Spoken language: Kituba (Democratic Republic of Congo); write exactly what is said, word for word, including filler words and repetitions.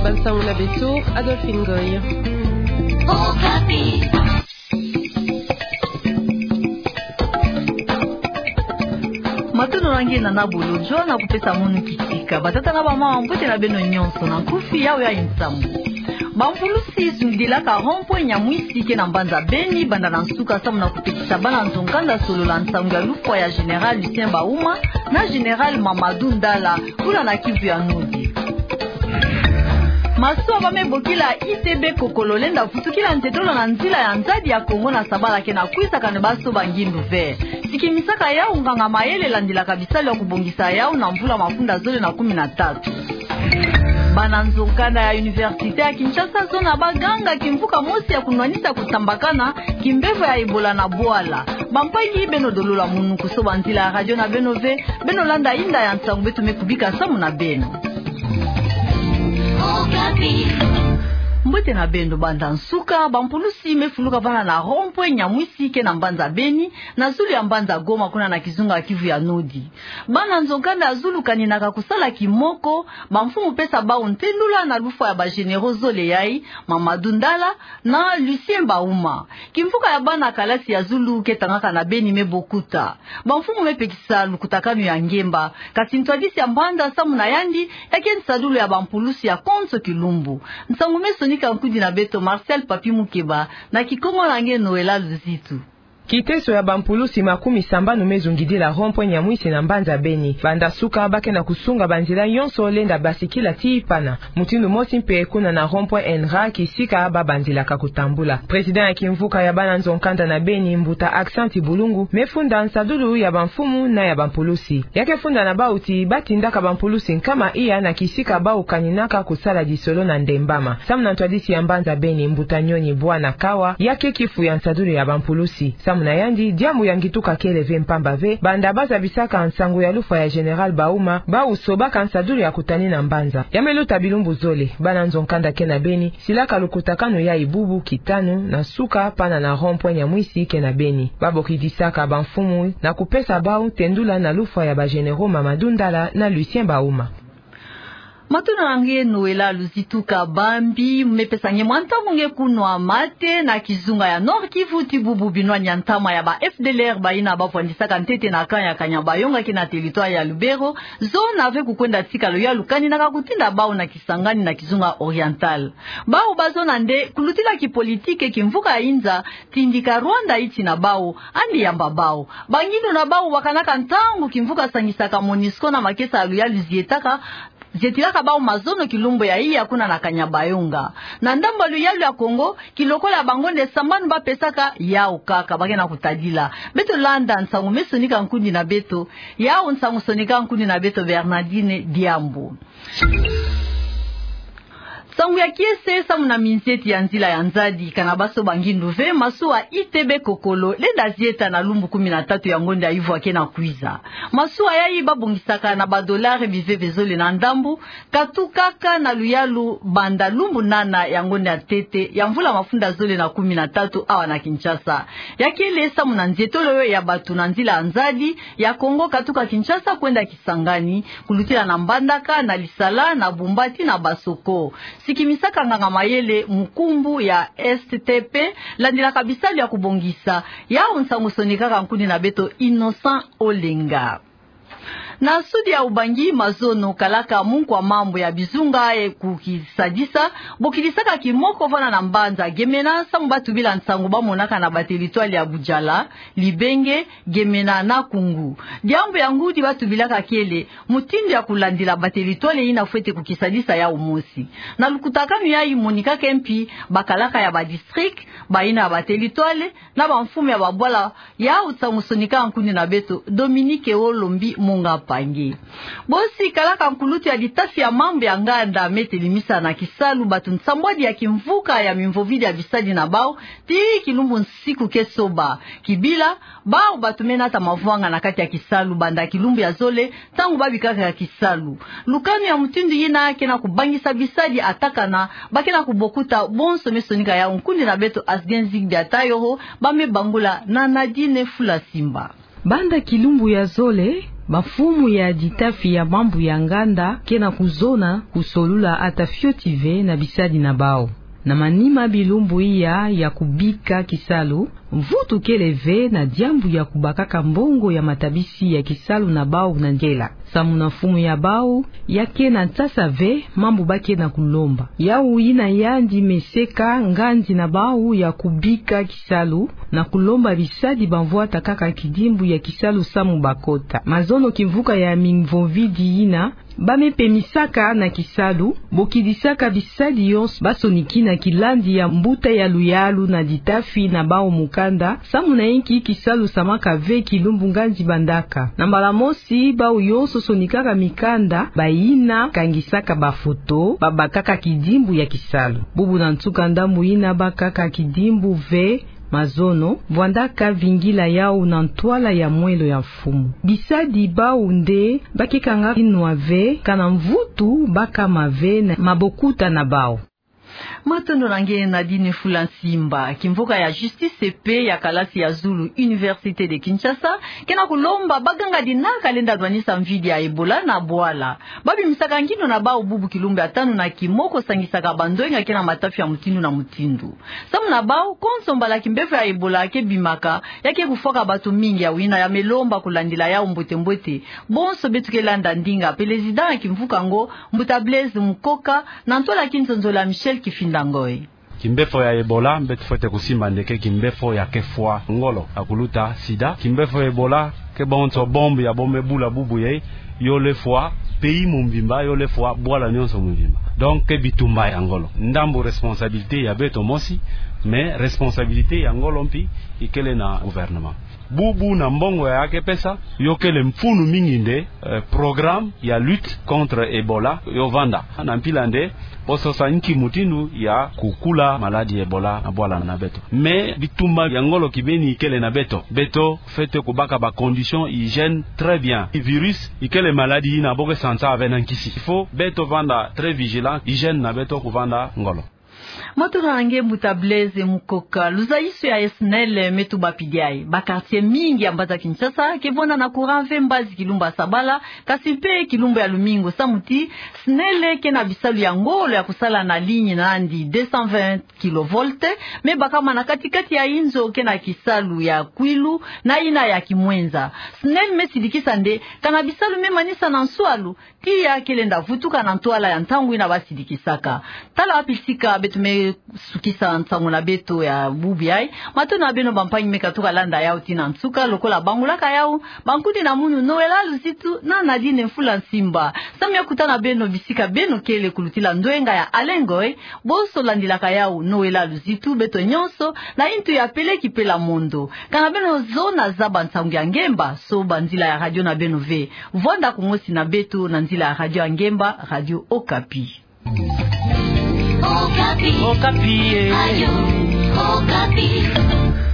Bansango na beto, Adolphine Ngoy. Matondo na nge na nabolo, Joana kupesa munu kitika. Batata na bamama, mbote na beno nyonso, na nkufi yawu ya nsangu. Bampulusi zungidilaka rond-point Nyamwisi ke na mbanza Beni, banda na nsuka samu na kutekisa bana nzo-nkanda solola nsangu ya lufwa ya Général Lucien Bauma na Général Mamadou Ndala, kuna na Kivu ya Nord. Masuwa ba me bokila I T B Kokolo lenda vutukila ntetolo na nzila ya nzadi ya Kongo na sabala ke na kwiza, kani basoba ngindu ve. Sikimisaka yawu nganga-mayele landilaka bisalu ya kubongisa yawu na mvula mafunda zole na kumi na tatu. Bana nzo-nkanda ya Université ya Kinshasa, zona baganga kimvuka mosi ya kunwanisa kutambakana kimbevo ya Ebola na bwala. Bampangi, beno dolola munu kusoba nzila ya radio na beno ve, beno landa inda ya nsangu beto me kubika samu na beno. Mbote na beno banda nsuka. Bampulusi me fuluka vana na rond-point Nyamwisi ke na mbanza Beni, na zulu ya mbanza Goma, kuna na kizunga Kivu ya Nord. Bana nzo-nkanda ya zulu kaninaka kusala kimoko, bamfumu pesa bawu ntendula na lufwa ya ba généraux zole yayi, Mamadou Ndala na Lucien Bauma. Kimvuka ya bana kalasi ya zulu ke tangaka na Beni me bokuta. Bamfumu me pekisa lukutakanu ya ngemba, kasi ntwadisi ya mbanza samu na yandi ya ke nsadulu ya bampulusi ya konso kilumbu. Nsangu me sonika nkundi na beto Marcel Papi Mukeba, na Kikongo na nge Noëlla Luzitu. Kiteso ya bampulusi makumi sambanu me zungidila rond-point Nyamwisi na mbanza Beni. Banda suka, ba ke na kusunga banzila nyonso lenda basikila tii pana. Mutindu mosi mpe kuna na rond-point ENRA, kisika ba bandilaka kutambula. Président ya kimvuka ya bana nzo-nkanda na Beni, mbuta Accent Bulungu, me funda nsadulu ya bamfumu na ya bampulusi. Ya ke funda na bawu ti ba tindaka bampulusi nkama iya na kisika bawu kaninaka kusala disolo na ndembama. Samu na ntwadisi ya mbanza Beni, mbuta Nyoni Bwana Kawa, ya ke kifu ya nsadulu ya bampulusi. Samu na yandi, diambu ya ngituka kele ve mpamba ve, banda ba zabisaka nsangu ya lufwa ya Général Bauma, bawu sobaka nsadulu ya kutani na mbanza. Ya me luta bilumbu zole, bana nzo-nkanda ke na Beni silaka lukutakanu yayi bubu kitanu na suka pana na rond-point Nyamwisi ke na Beni. Ba bokidisaka bamfumu na kupesa bawu ntendula na lufwa ya ba généraux Mamadou Ndala na Lucien Bauma. Matondo na nge Noëlla Luzitu. Kabambi, mu me pesa nge mwa ntangu nge kunwa mate na kizunga ya Nord-Kivu ti bubu binwani ya ntama ya ba F D L R, bayina ba vwandisaka ntete na camp ya Kanyabayonga ke na territoire ya Lubero, zona ve kukwenda tika luyalu kaninaka kutinda bawu na Kisangani na kizunga Oriental. Bawu ba zona nde kulutila kipolitike kimvuka ya inza, tindika Rwanda yiti na bawu, yandi yamba bawu. Bangindu na bawu bakanaka ntangu kimvuka sangisaka MONUSCO na makesa ya luyalu zietaka, zietilaka bawu mazono kilumbu ya iya kuna na Kanyabayonga. Na ndambu ya luyalu ya Kongo, kilokola ya bango nde sambanu ba pesaka, yawu kaka ba ke na kutadila. Beto landa nsangu me sonika nkundi na beto, yawu nsangu sonika nkundi na beto Bernardine Diambu. Nsangu ya kiese samu na minzieti ya nzila ya nzadi. Kana basoba ngindu ve, masuwa I T B Kokolo lenda zieta na lumbu kumi na tatu ya ngonda ya yuvwa ke na kwiza. Masuwa yayi ba bongisaka na ba dollars biveve zole na ndambu, katukaka na luyalu banda lumbu nana ya ngonda ya ntete ya mvula mafunda zole na kumi na tatu awa na Kinshasa. Ya kele samu na nzietolo ya batu na nzila ya nzadi ya Kongo katuka Kinshasa kwenda Kisangani, kulutila na Mbandaka, na Lisala, na Bumba ti na Basoko. Sikimisaka nganga-mayele mukumbu ya S T P, landilaka bisalu ya kubongisa. Yawu nsangu sonikaka nkundi na beto Innocent Olenga. Na sudi ya Ubangi, mazono kalaka munkwa mambu ya bizunga ye kukisadisa, bokidisaka kimoko vana na mbanza Gemena, samu ba tubila nsangu ba monaka na ba territoire ya Budjala, Libenge, Gemena na Koungou. Diambu ya ngudi ba tubilaka kele mutindu ya kulandila ba territoire yina fwete kukisadisa yawu mosi. Na lukutakanu yayi monikaka mpi bakalaka ya ba district, bayina ya ba territoire, na bamfumu ya babwala, yawu nsangu sonikaka nkundi na beto Dominique Olombi Munga Mpangi. Bosi kalaka nkulutu ya litasi ya mambu ya nganda me telemisa na kisalu batu nsambwadi ya kimvuka ya mimvovidi ya bisadi na bawu, ti kilumbu nsiku ke soba. Kibila, bawu batu me nata mavwanga na kati ya kisalu banda kilumbu ya zole, ntangu ba bikaka ya kisalu. Lukanu ya mutindu yina ke na kubangisa bisadi atakana, ba ke na kubokuta bonso me sonika yawu nkundi na beto Asgen Zigbi Atayoro, ba me bangula na Nadine Fula Simba. Banda kilumbu ya zole, Bamfumu ya ditafi ya mambu ya nganda ke na kuzona kusolula ata fioti ve na bisadi na bau. Na manima bilumbu iya ya kubika kisalu, mvutu kele ve na diambu ya kubakaka mbongo ya matabisi ya kisalu na bau na ngela. Samu na mfumu ya bau, ya ke na nsasa ve mambu ba ke na kulomba. Yau yina yandi meseka ngandi na bau ya kubika kisalu na kulomba bisadi bamvwata kaka kidimbu ya kisalu samu bakota. Mazono kimvuka ya mimvovidi yina, ba me pemisaka na kisalu, bokidisaka bisadi yonso ba sonikina kilandi ya mbuta ya luyalu na ditafi na bau mukanda, samu na inki kisalu samaka ve kilumbu ngandi bandaka. Na mbala mosi, bau yonso sonikaka mikanda, bayina kangisaka bafoto, babakaka kidimbu ya kisalu. Bubu na nsuka ndambu yina bakaka kidimbu ve, mazono, vwandaka vingila yau na ntwala ya mwelo ya mfumu. Bisadi bau nde ba ke kanga inwa ve, kana mvutu ba kama ve na mabokuta na bau. Matondo na nge Nadine Fula Nsimba. Kimvuka ya Justice pe ya kalasi ya zulu Université de Kinshasa ke na kulomba baganga dina kalenda lwanisa mvidi ya Ebola na bwala. Ba bimisaka ngindo na bau bubu kilumbu ya tanu na kimoko sangisaka bandwenga ke na matafi ya mutindu na mutindu. Samu na bau, konso mbala kimbevo ya Ebola ke bimaka, ya ke kufwaka bato mingi, yau yina ya me lomba kulandila yau mbwetembwete. Bonso beto ke landa ndinga Pelezida ya kimvuka yango, mbuta Blaise Mukoka, na ntwala ya kinzonzolo ya Michel Kifinda Ngoy. Kimbevo ya Ebola, beto fwete kusimba nde ke kimbevo ya ke fwa ngolo, ya kuluta sida. Kimbevo ya Ebola ke bonso bombe ya bo me bula bubu yai, yo lefwa pays mu mvimba, yo lefwa bwala nyonso mu mvimba. Donc, ke bitumba ya ngolo. Ndambu responsabilité ya beto mosi, mais responsabilité ya ngolo mpi ikele na gouvernement. Bubu na mbongo ya ke pesa, yo kele mfunu mingi nde, eh, programme ya lutte contre Ebola yo vanda. Na mpila nde, bo sosa nki mutindu ya kukula maladie Ebola na bwala na beto. Mais bitumba ya ngolo kibeni ikele na beto. Beto fwete kubaka ba conditions hygiène très bien. Virus ikele maladie yina bo ke sansa ve na nkisi. Il faut beto vanda très vigilant, hygiène na beto kuvanda ngolo. Matondo na nge mbuta Blaise Mukoka. Luzaiso ya SNEL me tuba pidi yai. Ba quartier mingi ya mbanza Kinshasa ke vwanda na courant ve mbazi kilumbu ya sabala, kasi mpe kilumbu ya lumingu, samu ti SNEL ke na bisalu ya ngolo ya kusala na ligne na yandi deux cent vingt kilovolts, me bakama na kati-kati ya inzo ke na kisalu ya kwilu na yina ya kimwenza. SNEL me sidikisa nde, kana bisalu me manisa na nswalu, tiya ke lenda vutuka na ntwala ya ntangu yina ba sidikisaka. Tala wapi sika beto me sukisa nsangu na beto ya bubu yai. Matondo na beno bampangi me katuka landa yau tii na nsuka, lokola bangulaka yau, bankudi na munu Noëlla Luzitu na Nadine Mfula Nsimba. Samu ya kutana beno bisika beno kele kulutila ndwenga ya Alain Ngoy, bonso landilaka yau Noëlla Luzitu, beto nyonso na intu ya peleki pela mondo. Kana beno zona zaba nsangu ya ngemba, soba nzila ya radio na beno ve. Vwanda kumosi na beto na nzila ya radio ya ngemba, Radio Okapi. Okapi. Okapi, eh. Radio Okapi.